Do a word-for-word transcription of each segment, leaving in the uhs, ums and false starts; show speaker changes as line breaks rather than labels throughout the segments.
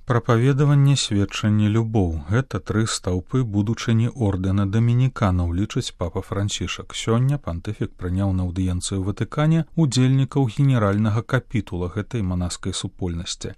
Прапаведаванне, сведчанне, любоў – гэта тры стаўпы будучыні ордэна дамініканаў, лічыць папа Францішак. Сёння пантыфік прыняў на аўдыенцыю ў Ватыкане удзельнікаў генеральнага капітула гэтай манаскай супольнасці.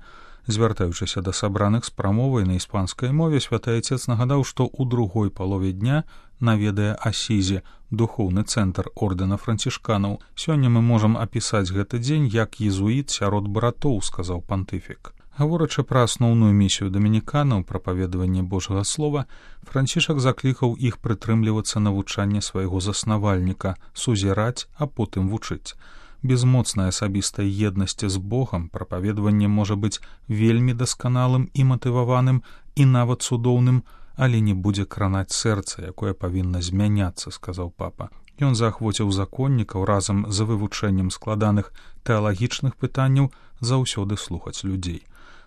Звяртаючыся да сабраных з прамовай на іспанскай мове, святы айцец нагадаў, што ў другой палове дня наведае Асізі, духоўны цэнтр ордэна францішканаў. Сёння мы можам апісаць гэты дзень як езуіт сярод братоў, сказаў пантыфік. Гаворачы пра асноўную місію дамініканаў, прапаведаванне Божага слова, Францішак заклікаў іх прытрымлівацца навучання свайго заснавальніка, сузіраць, а потым вучыць. Без моцнай асабістай еднасці з Богам прапаведаванне можа быць вельмі дасканалым і матываваным, і нават цудоўным, але не будзе кранаць сэрца, якое павінна змяняцца, сказаў папа. Ён заахвоціў законнікаў разам з вывучэннем складаных тэалагічных пытанняў заўсёды слухаць людзей.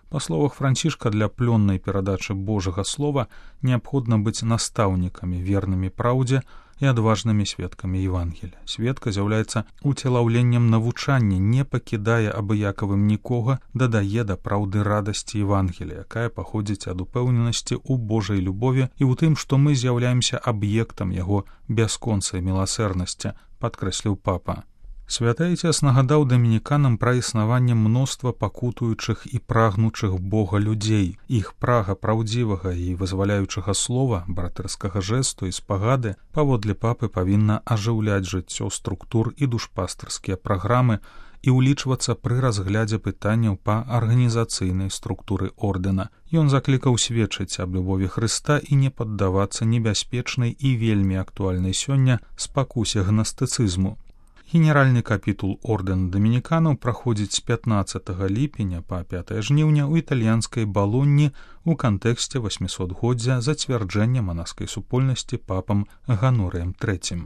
Па словах Францішка, для плённай перадачы Божага слова неабходна быць настаўнікамі, вернымі праўдзе і адважнымі сведкамі Евангелія. Сведка з'яўляецца уцелаўленнем навучання, не пакідае абыякавым нікога, дадае да праўды радасці Евангелія, якая паходзіць ад упэўненасці ў Божай любові і ў тым, што мы з'яўляемся аб'ектам яго бясконцай міласэрнасці, падкрэсліў папа. Святы айцец нагадаў дамініканам пра існаванне мноства пакутуючых і прагнучых Бога людзей. Іх прага праўдзівага і вызваляючага слова, братэрскага жэсту і спагады, паводле папы павінна ажыўляць жыццё структур і душпастырскія праграмы і ўлічвацца пры разглядзе пытанняў па арганізацыйнай структуры ордэна. Ён заклікаў сведчыць аб любові Хрыста і не паддавацца небяспечнай і вельмі актуальнай сёння спакусе гнастыцызму. Генеральны капітул ордэна дамініканаў праходзіць з пятнаццатага ліпеня па пятае жніўня ў італьянскай Балонні ў кантэксце васьмісотгоддзя зацвярджэння манаскай супольнасці папам Ганорыем трэцім.